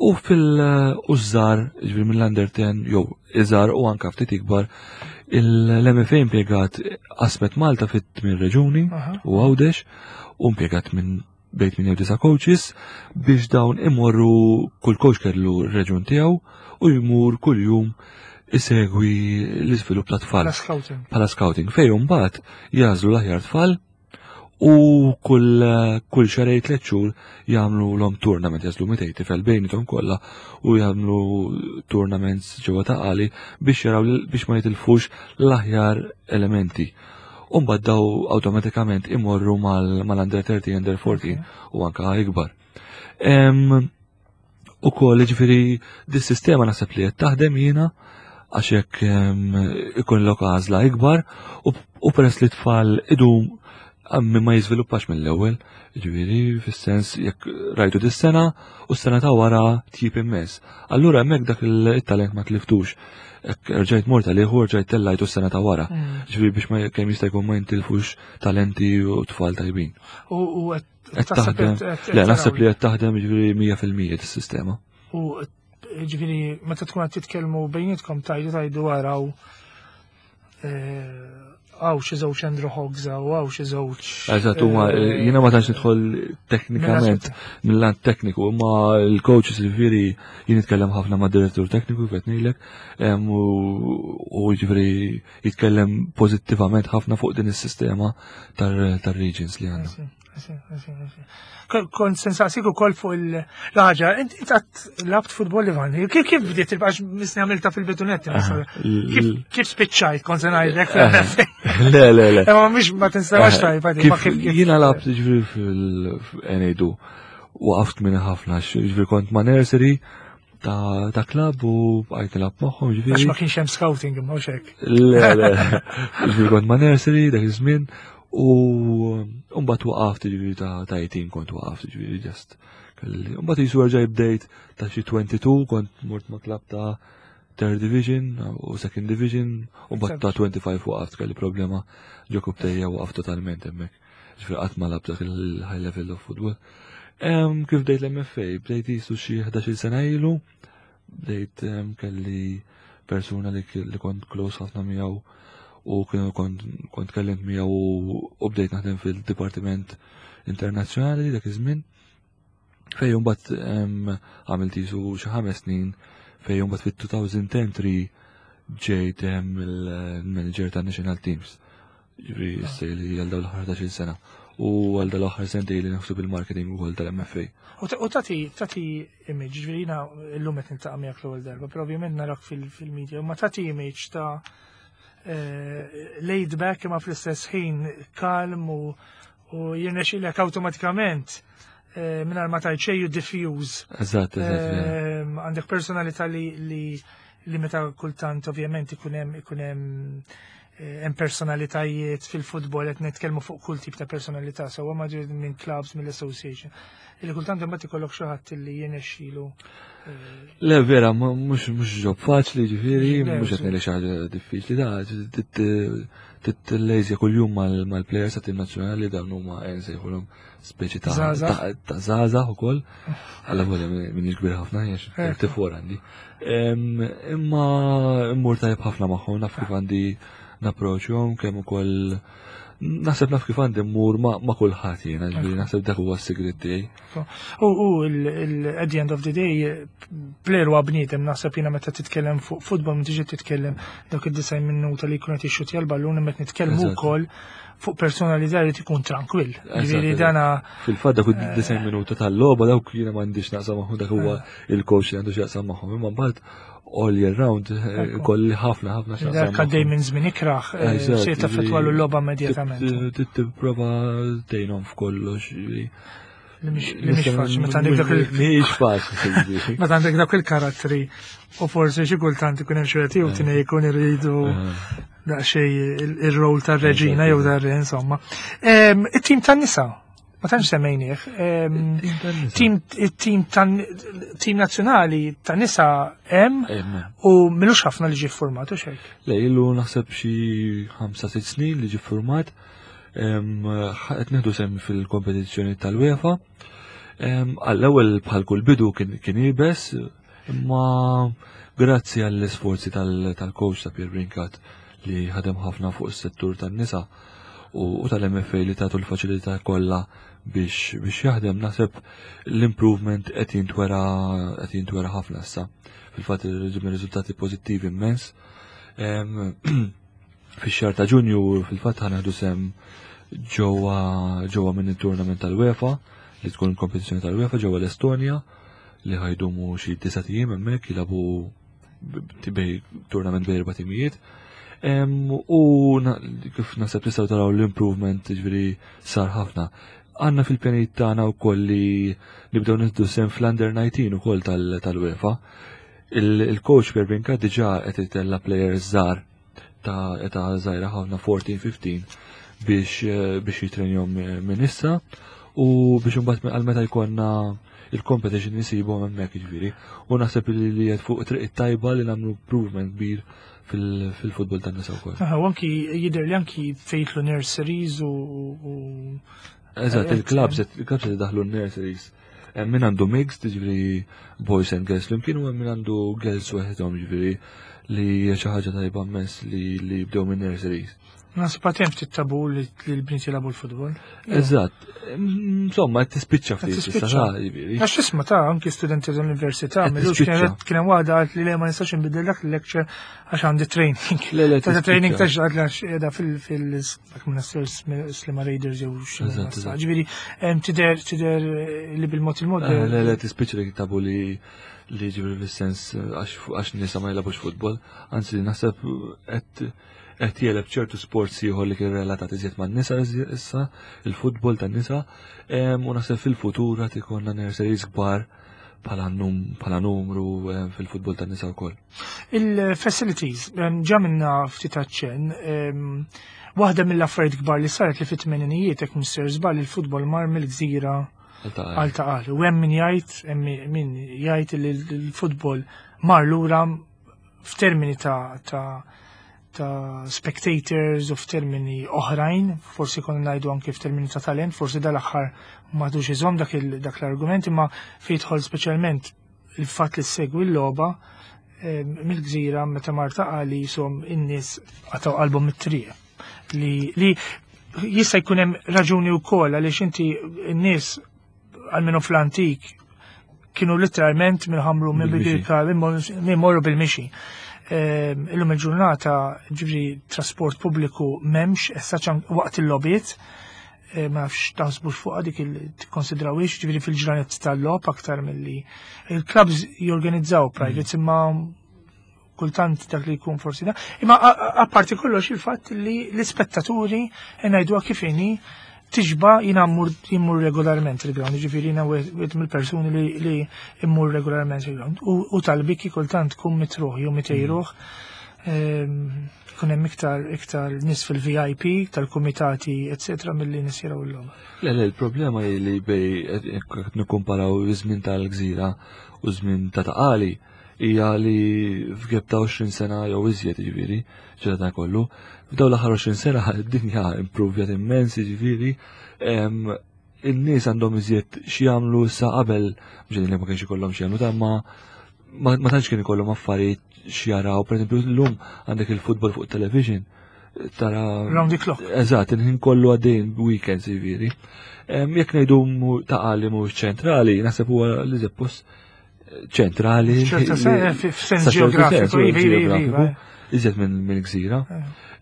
U fil-użżar, ġifieri mill-under 10 jew iżgħar u anka ftit ikbar, l-MFA impjegat qasmet Malta fit-tmien reġuni u Għawdex u impjegat minn bejn 8 u 9 coaches biex dawn imorru kull coach kellu r-reġun tiegħu u jmur kull jum isegwi l-iżvilupp ta' tfal. Bħala scouting. Bħala scouting. Fejn mbagħad jagħżlu l-aħjar tfal u kull xarej 3 xhur jagħmlu l-om tournament, jagħżlu 200 tifel bejniethom kollha u jagħmlu tournaments ġewwa Ta' Qali biex jaraw biex ma jitilfux l-aħjar elementi. U mbagħad daw awtomatikament imorru mal-under 13, under 14 u anka ikbar. U koll, ġifieri, dis-sistema naħseb li qed taħdem jiena għax hekk ikun lok għażla ikbar u peress li tfal idum għammi ma jiżviluppax mill-ewwel, ġifieri fis-sens jekk rajtu dis-sena u s-sena ta' wara tjib immens. Allura hemmhekk dak il-talent ma tliftux. Hekk rġajt mort għalih u rġajt tellajtu s-sena ta' wara. Ġifieri biex ma kemm jista' jkun ma jintilfux talenti u tfal tajbin. U qed Qed taħseb taħdem. qed Le, naħseb taraw. li qed taħdem ġifieri 100% dis-sistema. U ġifieri meta tkun qed titkellmu bejnietkom tajdu għaraw għaw xi żewġ Andrew Hoggs għaw xi żewġ. Eżatt, huma jiena ma tantx nidħol teknikament mill-lant tekniku, imma l-coaches ġifieri jien nitkellem ħafna ma' direttur tekniku kif qed ngħidlek, u ġifieri jitkellem pożittivament ħafna fuq din is-sistema tar-regions li għandna. Kont se nsaqsik ukoll fuq il-ħaġa, int qatt labt futbol Ivan, kif bdiet il-għax misni għamilta fil-bidunet, kif spiċċajt kont se ngħidlek? Le, le, le. Imma mhix ma tinsemax tajba di, ma kif Jiena labt ġifieri fil-NADU, waqaft minn ħafna, ġifieri kont ma' nursery ta' klab u bqajt nilgħab magħhom, ġifieri. Għax ma kienx hemm scouting imma hux hekk. Le, le, ġifieri kont ma' nursery dak iż-żmien u mbagħad waqaft ġifieri ta' 18 kont waqaft ġifieri just. Mbagħad jisu erġa' bdejt ta' xi 22 kont mort ma' klab ta' third division u second division u mbagħad ta' 25 waqaft kelli problema ġo kubtejja waqaft totalment hemmhekk. Ġifieri qatt ma labt dak il-high level of football. Kif bdejt l-MFA? Bdejt jisu xi 11-il sena ilu, bdejt kelli persuna li kont close ħafna miegħu u kienu kont kellimt miegħu u bdejt naħdem fil-Dipartiment Internazzjonali dak iż-żmien. Fejn mbagħad għamilt jisu xi 5 snin fejn mbagħad fit-2010 ġejt il-manager ta' National Teams. Ġifieri issa li għal dawn l-aħħar 11-il sena. U għal dawn l-aħħar sentejn li naħseb il-marketing ukoll tal-MFA. U tati image, ġifieri jiena llum qed niltaqa' miegħek l-ewwel darba, però ovvjament narak fil-media, ma tati image ta' laid back imma fl-istess ħin kalm u jirnexxilek awtomatikament mingħajr ma tajt xejn you diffuse. Eżatt, eżatt, vera. Għandek personalità li meta kultant ovvjament ikun hemm Hemm personalitajiet fil-futbol qed nitkellmu fuq kull tip ta' personalità, sewwa ma minn clubs mill-association. Illi kultant imbagħad ikollok xi ħadd li jirnexxilu. Le vera, mhux mhux ġob faċli ġifieri, mhux qed ngħid xi ħaġa diffiċli da titlejżja kuljum mal-plejers ta' tim nazzjonali dawn huma nsejħulhom speċi ta' ta' żgħażagħ ukoll. Alla volja minix kbir ħafna jiex tifor għandi. Imma immur tajjeb ħafna magħhom naf kif għandi napproċċjhom kemm ukoll naħseb naf kif għandi mmur ma' kulħadd jiena, ġifieri naħseb dak huwa s-sigriet tiegħi. U at the end of the day, player huwa bniedem naħseb jiena meta titkellem fuq futbol ma tiġi titkellem dak id-90 minuta li jkun qed jixxutja l-ballun imma qed nitkellmu wkoll fuq personalità li tkun trankwill. Ġifieri dana Fil-fatt dak id-90 minuta tal-logħba dawk jiena m'għandix naqsam magħhom dak huwa il-coach li għandu x'jaqsam magħhom imma mbagħad all year round kolli ħafna ħafna x'jaqsam. Dak għaddej minn żmien ikraħ se taffettwalu l-logħba immedjatament. Tipprova tgħinhom f'kollox. Li mhix faċli, meta għandek dak il- Mhix faċli. Meta għandek dak il-karattri u forsi xi kultant ikun hemm xi wieħed jew tnejn ikun iridu daqsxejn ir-rol tar-reġina jew tar-re insomma. It-tim tan-nisa, ma tantx semmejnieh. Tim tim tim nazzjonali tan-nisa hemm u milux ħafna li ġie ffurmat u xejn. Le ilu naħseb xi 5-6 snin li ġie ffurmat. Qed nieħdu sehem fil-kompetizzjoni tal-UEFA. Għall-ewwel bħal kull bidu kien iebes, imma grazzi għall-isforzi tal-coach ta' Pierre Brincat li ħadem ħafna fuq is-settur tan-nisa u tal-MFA li tagħtu l-faċilità kollha biex biex jaħdem naħseb l-improvement qed jintwera qed jintwera ħafna issa. Fil-fatt ġibna riżultati pożittivi immens. Fix-xahar ta' Ġunju fil-fatt ħaneħdu sem ġewwa ġewwa minn it-tournament tal-UEFA li tkun il-kompetizzjoni tal-UEFA ġewwa l-Estonja li ħajdumu xi disa' ijiem hemmhekk jilagħbu bej tournament bej erba' timijiet. U kif naħseb tistgħu taraw l-improvement ġifieri sar ħafna. Għandna fil-pjanijiet tagħna wkoll li nibdew nieħdu sem fl-under 19 ukoll tal-UEFA. Il-coach Pierre Brincat diġà qed itella' players żgħar ta' età żgħira ħafna 14-15 biex eh, biex jitrenjhom minn issa u biex imbagħad għal meta jkollna il-competition nisibhom hemmhekk jiġifieri. U naħseb li qed fuq triq it-tajba li nagħmlu improvement kbir fil-futbol tan-nisa wkoll. U anki jidher li anki fejtlu nurseries u Eżatt, il-clubs il-clubs qed idaħħlu n-nurseries. Hemm min għandu mixed, jiġifieri boys and girls flimkien u hemm min għandu girls waħedhom, jiġifieri li hija xi ħaġa tajba immens li li jibdew minn nurseries. Naħseb għad hemm ftit tabu li l-bniet jilagħbu l-futbol. Eżatt. Insomma, qed tispiċċa ftit issa ta' jiġifieri. Għax tisma' ta' anki studenti tal-università, millux kien hemm waħda qalt li le ma nistax inbiddel dak il-lecture għax għandi training. Le, le, Ta' training ta' xaqt għax qiegħda fil dak minn Slima Raiders jew xi Ġifieri tidher tidher li bil-mod il-mod. Eh, le le tispiċċa li tabu li li ġifieri fis-sens għax nisa ma jilagħbux futbol, anzi naħseb qed qed jeleb ċertu sports ieħor li kien relatat iżjed man-nisa issa, il-futbol tan-nisa, u naħseb fil-futur qed ikollna nurseries kbar bħala numru fil-futbol tan-nisa wkoll. Il-facilities, ġa minna ftit aċċenn, waħda mill-affarijiet kbar li saret li fit-tmeninijiet hekk Mr. Żball il-futbol mar mill-gżira għal taqal. U hemm min jgħid, hemm min jgħid li l-futbol mar lura f'termini ta' ta' ta' spectators u f'termini oħrajn, forsi konna ngħidu anke f'termini ta' talent, forsi dal-aħħar m'għadux iżomm dak l-argument, imma fejn jidħol speċjalment il-fatt li ssegwi l-logħba eh, mill-gżira meta Marta qali jisom in-nies qatgħu qalbhom mit-triq. Li, li jista' jkun hemm raġuni wkoll għaliex inti n-nies għalmenu fl-antik kienu literalment minn ħamru minn bidilka minn morru bil-mixi. Ehm, illum il-ġurnata ġifri trasport pubbliku memx, issa waqt il-lobiet, eh, ma nafx taħsbux fuqha dik il-tikkonsidrawiex, ġifri fil-ġranet tal-lob aktar milli il-clubs jorganizzaw privates mm. imma kultant dak li jkun forsi da. Imma apparti kollox il-fatt li l-ispettaturi ngħiduha kif inhi tiġba jina immur regolarment il-ground, ġifiri jina wieħed mill-persuni li immur regolarment il-ground. U tal-biki kultant tkun mitruħ jew mitejruħ. Kun hemm iktar iktar nies fil-VIP tal-kumitati eċetera milli nies jaraw il-logħba. Le, le, il-problema hi li bej qed nikkumparaw iż-żmien tal-gżira u żmien ta' taqali hija li f'gap ta' 20 sena jew iżjed jiġifieri, ġara dan kollu. F'dawn l-aħħar 20 sena id-dinja impruvjat immens jiġifieri. In-nies għandhom iżjed x'jagħmlu issa qabel, mhux li ma kienx ikollhom x'jagħmlu ta' ma ma tantx kien ikollhom affarijiet x'jaraw, pereżempju llum għandek il-futbol fuq television tara. Round the clock. Eżatt, il-ħin kollu għaddejn weekends jiġifieri. Jekk ngħidu ta' qali mhuwiex ċentrali, naħseb huwa li post ċentrali. F'sens ġeografiku, iva, iva, iva. Iżjed minn gżira.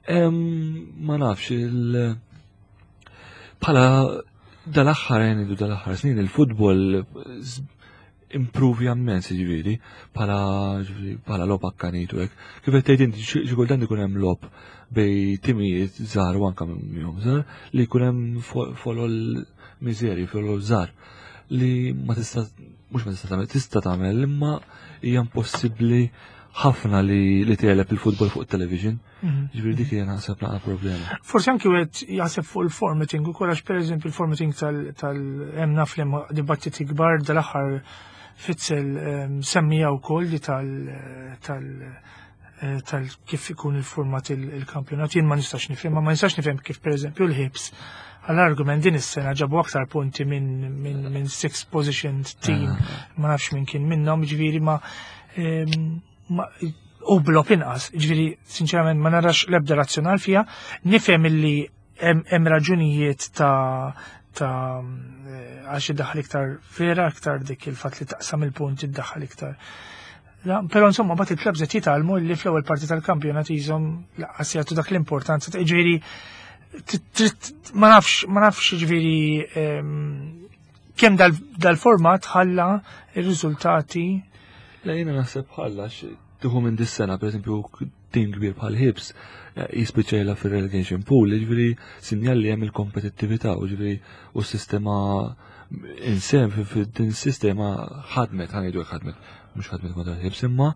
Ma nafx il bħala dal-aħħar ngħidu dal-aħħar snin il-futbol improvi ammens ġifieri bħala bħala logħob akkanitu hekk. Kif qed tgħid inti xi kultant ikun hemm logħob bej timijiet żgħar u anke minnhom żgħar li jkun hemm folol miżerji, folol żgħar li ma tista' mhux ma tista' tagħmel, tista' tagħmel imma hija impossibbli ħafna li li tegħleb il-futbol fuq television. Ġifieri dik hija naħseb naqa' problema. Forsi anki wieħed jaħseb fuq il-formatting ukoll għax pereżempju il-formatting tal hemm naf li hemm dibattiti kbar dal-aħħar Fitzel semmija wkoll li tal tal eh, tal kif ikun il-format il-kampjonat jien ma nistax nifhem, ma nistax nifhem kif pereżempju l-Hibs għall-argument din is-sena ġabu aktar punti minn min, min six positioned team, ah. ma nafx minn kien minnhom, ġifieri ma u blob inqas, ġifieri sinċerament ma narax l-ebda razzjonal fiha, nifhem illi hemm raġunijiet ta' ta' eh, għax iddaħħal iktar vera, iktar dik il-fatt li taqsam il-punt iddaħħal iktar. Però insomma bat il-klabs qed jitgħallmu li fl-ewwel parti tal-kampjonat jiżhom laqqas jagħtu dak l-importanza ta' ġifieri ma nafx ma nafx ġifieri kemm dal-format ħalla ir-riżultati. La jiena naħseb ħalla tieħu minn dis-sena, pereżempju tim kbir bħal Hibs eh, jispiċċa jilgħab fir-relegation pool, jiġifieri sinjal li hemm il-kompetittività u ġifieri u s-sistema insem din sistema ħadmet, ħanejdu ħadmet, mhux ħadmet kontra Hibs imma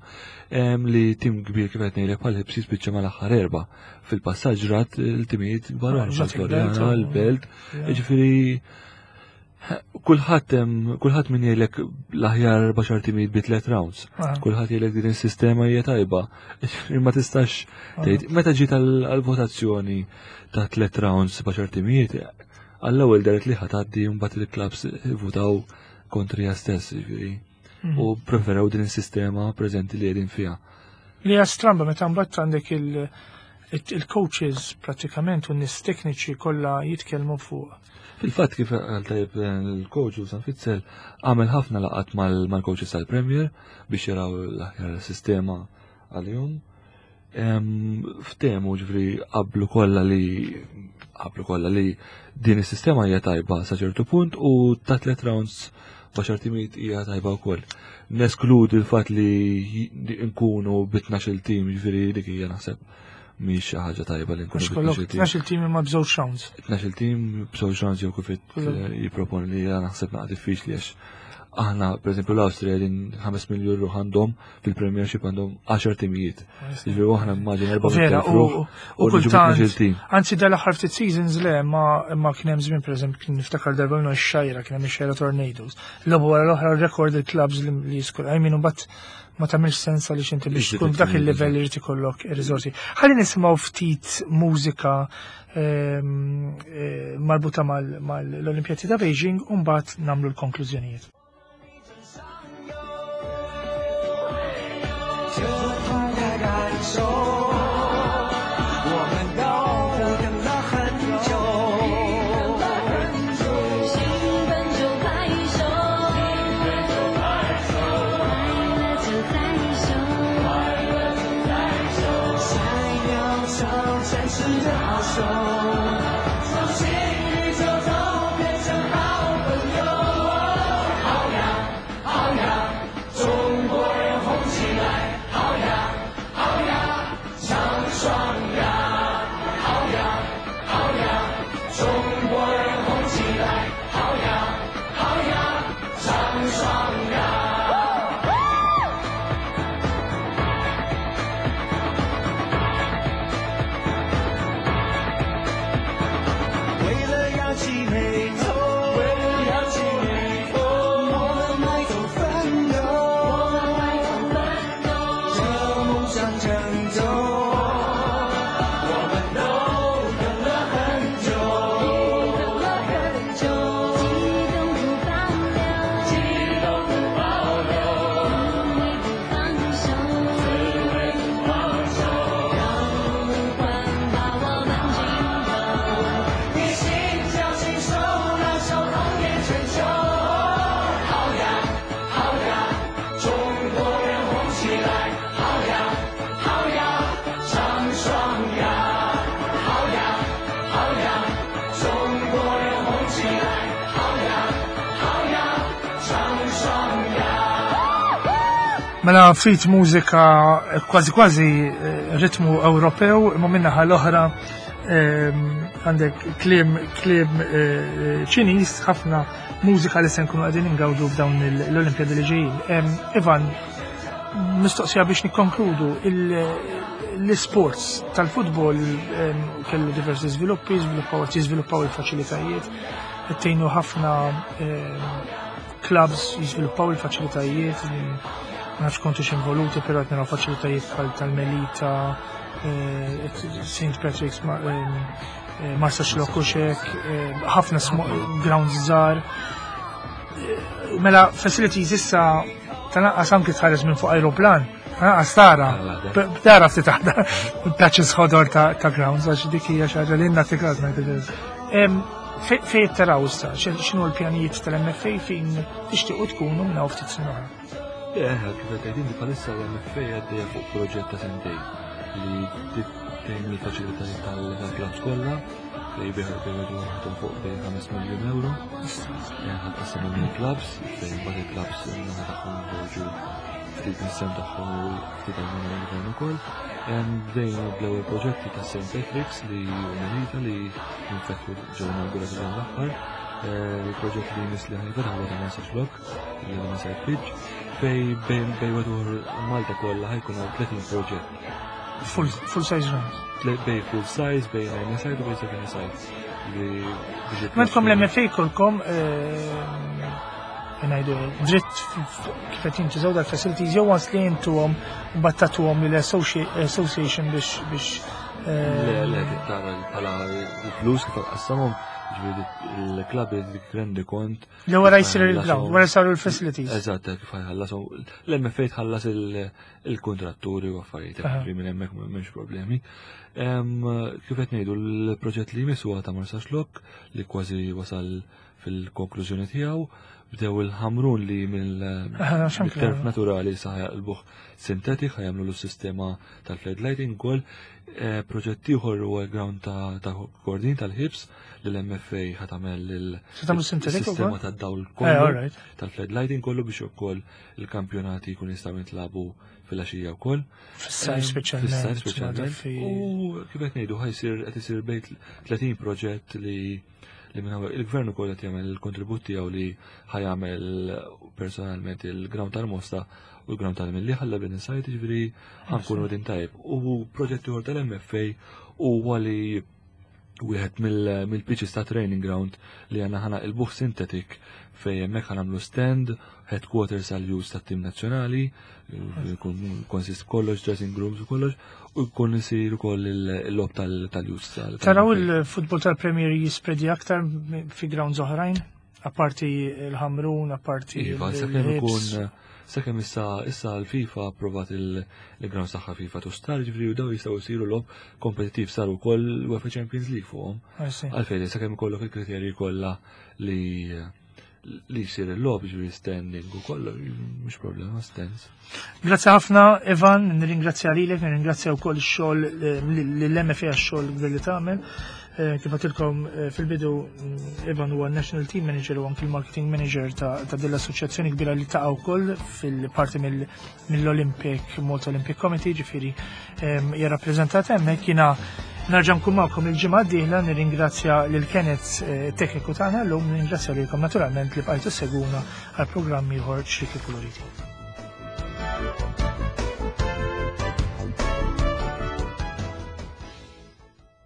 li tim kbir kif qed ngħidlek bħal Hibs jispiċċa mal-aħħar erba' fil-passaġġ rat il-timijiet kbar oħra, Floriana, l-Belt, jiġifieri Kulħadd hemm kulħadd min jgħidlek l-aħjar baxar timijiet bi tliet rounds. Ah. Kulħadd jgħidlek din is-sistema hija tajba. Ma tistax ah. tgħid meta ġiet għall-votazzjoni ta' tliet rounds baxar timijiet, għall-ewwel deret li ħatgħaddi mbagħad il-clubs votaw kontrija stess, jiġifieri. Mhm. U preferew din is-sistema preżenti li qegħdin fiha. Li hija stramba meta mbagħad għandek il-coaches pratikament u n-nies tekniċi kollha jitkellmu fuq Fil-fatt kif għal tajjeb il-coach u San Fitzel għamel ħafna laqat mal-coaches tal-Premier biex jaraw l-aħjar sistema għalihom. Ftehmu ġifri qablu kollha li qablu kollha li din is-sistema hija tajba sa ċertu punt u ta' tliet rounds baxar timijiet hija tajba wkoll. Neskludi l-fatt li nkunu bi 12 tim ġifieri dik hija naħseb mhix xi ħaġa tajba li nkunu. Kollok 12 tim imma b'żewġ rounds. 12 tim b'żewġ rounds jew kif eh, jipproponi li naħseb naqa' diffiċli għax aħna pereżempju l-Awstrija din 5 miljun ruħ għandhom fil-Premiership għandhom 10 timijiet. Jiġifieri aħna immaġin 4 Vera, u kultant. Anzi dal-aħħar ftit seasons le ma ma kien hemm żmien pereżempju kien niftakar darba minnu x-xajra kien hemm ix-xajra Tornadoes. Logħbu wara l-oħra rekord il-clubs li jiskur. I mean mbagħad ma tagħmilx sens għaliex inti biex tkun f'dak il-livell irid ikollok ir-riżorsi. Ħalli nisimgħu ftit mużika eh, marbuta mal-Olimpjati ta' Beijing u mbagħad nagħmlu l-konklużjonijiet. 扬起眉头，微微扬起眉头，我们埋头奋斗，我们埋头奋斗，向梦想成就。我们都等了很久，等了很久，激动不保留，激动不保留，滋味不放手，滋味不放手，让呼唤把我们浸透。一心交心手，拉手红遍全球。好呀好呀，中国人红起来，好呀好呀，唱双呀，好呀好呀，中国人红起来，好呀好呀，唱双呀。 Mela ftit mużika kważi kważi ritmu Ewropew, imma min-naħa l-oħra għandek kliem kliem Ċiniż, ħafna mużika li se nkunu qegħdin ingawdu f'dawn l-Olimpjadi li ġejjin. Ivan, mistoqsija biex nikkonkludu, l-sports tal-futbol kellu diversi żviluppi, żviluppaw qed jiżviluppaw il-faċilitajiet, qed tgħinu ħafna clubs jiżviluppaw il-faċilitajiet, ma nafx kontux involuti, però qed naraw faċilitajiet bħal tal-Melita, St. Patrick's, Marsaxlokk u xek, ħafna grounds żgħar. Mela facilities issa tal-anqas anki tħares minn fuq aeroplan, tal-anqas tara, tara ftit aħdar, patches ħodor ta' grounds, għax dik hija xi ħaġa li nagħti ngħid. Fejn taraw issa, x'inhu l-pjanijiet tal-MFA fejn tixtiequ tkunu minn hawn ftit snin oħra? Kif qed tgħid inti, bħalissa l-MFA għaddejja fuq proġett ta' sentejn li tgħin il-faċilitajiet tal-clubs kollha fejn bejn ħadd fuq bejn 5 miljun euro. Ħadd qassamhom mill-clubs, fejn mbagħad il-clubs naħa tagħhom joħorġu ftit mis-sehem tagħhom u ftit għajnuna mill-gvern ukoll. Bdejna bl-ewwel proġetti ta' St. Patrick's li Melita li infetħu ġew inawgurati dan l-aħħar. Il-proġett li jmiss li ħa jinfetaħ huwa ta' Marsaxlokk li għadha site pitch fejn bejn madwar Malta kollha ħa jkun hawn 30 proġett. Full size grounds. Bejn full size, bejn 9 side u bejn 7 side. Li biex Mentkom l-MFA kolkom ngħidu dritt kif qed jintużaw dal-facilities jew once li intuhom battatuhom lill-association biex Le, tara bħala il-flus kif qassamhom, ġifieri il-klabb dik rendi kont. Li wara jsir il-ground, wara saru l-facilities. Eżatt, kif ħallas l-MFA tħallas il-kontratturi u affarijiet, ġifieri minn hemmhekk m'hemmx problemi. Kif qed ngħidu, l-proġett li jmiss huwa ta' Marsaxlokk li kważi wasal fil-konklużjoni tiegħu. Bdew il-Ħamrun li x'anke mill-turf naturali sa jaqilbuh synthetic, ħa jagħmlu l-sistema tal-floodlighting ukoll. Proġett ieħor huwa l-ground ta' Kordin tal-Hibs li l-MFA ħa tagħmel Se tagħmlu synthetic il-sistema ukoll? tad-dawl kollu tal-floodlighting kollu biex ukoll il-kampjonati jkun jistgħu jintlagħbu fil-għaxija wkoll. Fis-sajf speċjalment, Fis-sajf speċjalment. U kif qed ngħidu ħa jsir qed isir bejn 30 proġett li minn hawn il-gvern ukoll qed jagħmel il-kontribut tiegħu li ħa jagħmel personalment il-ground tal-Mosta u l-ground tal-Mellieħa l site, ġifieri ħa nkunu qegħdin tajjeb. U proġett ieħor tal-MFA huwa li wieħed mill-pitches ta' training ground li għandna ħa naqilbuh synthetic fejn hemmhekk ħa nagħmlu stand, headquarters għal use tat-tim nazzjonali, jkun consist kollox, dressing rooms u kollox, u jkun isir ukoll il-logħob tal-use Taraw tal-MFA. il-futbol tal-Premier jispredi aktar fi grounds oħrajn? Apparti il-Ħamrun, apparti Iva, sakemm il-Hibs. ikun sakemm issa l-FIFA approvat il-ground saħħa FIFA two star, ġifieri u daw jistgħu jsiru logħob kompetittiv, saru wkoll UEFA Champions League fuqhom. I see. Għalfejn, sakemm ikollok il-kriterji kollha li jsir il-logħob, ġifieri standing u kollu, mhux problema, stands. Grazzi ħafna, Ivan, nirringrazzja lilek, nirringrazzja wkoll ix-xogħol lill-MFA għax-xogħol kbir li tagħmel. Kif għedtilkom fil-bidu, Ivan huwa National Team Manager u anki l-Marketing Manager ta' din l-assoċjazzjoni kbira li taqa' wkoll fil-parti mill-Olympic, Malta Olympic Committee, ġifieri hija rappreżentata hemmhekk. Jiena nerġa' nkun magħkom il-ġimgħa d-dieħla, nirringrazzja lil Kenneth tekniku tagħna llum, nirringrazzja lilkom naturalment li bqajtu seguna għal programm ieħor Ċrieki Kuluriti.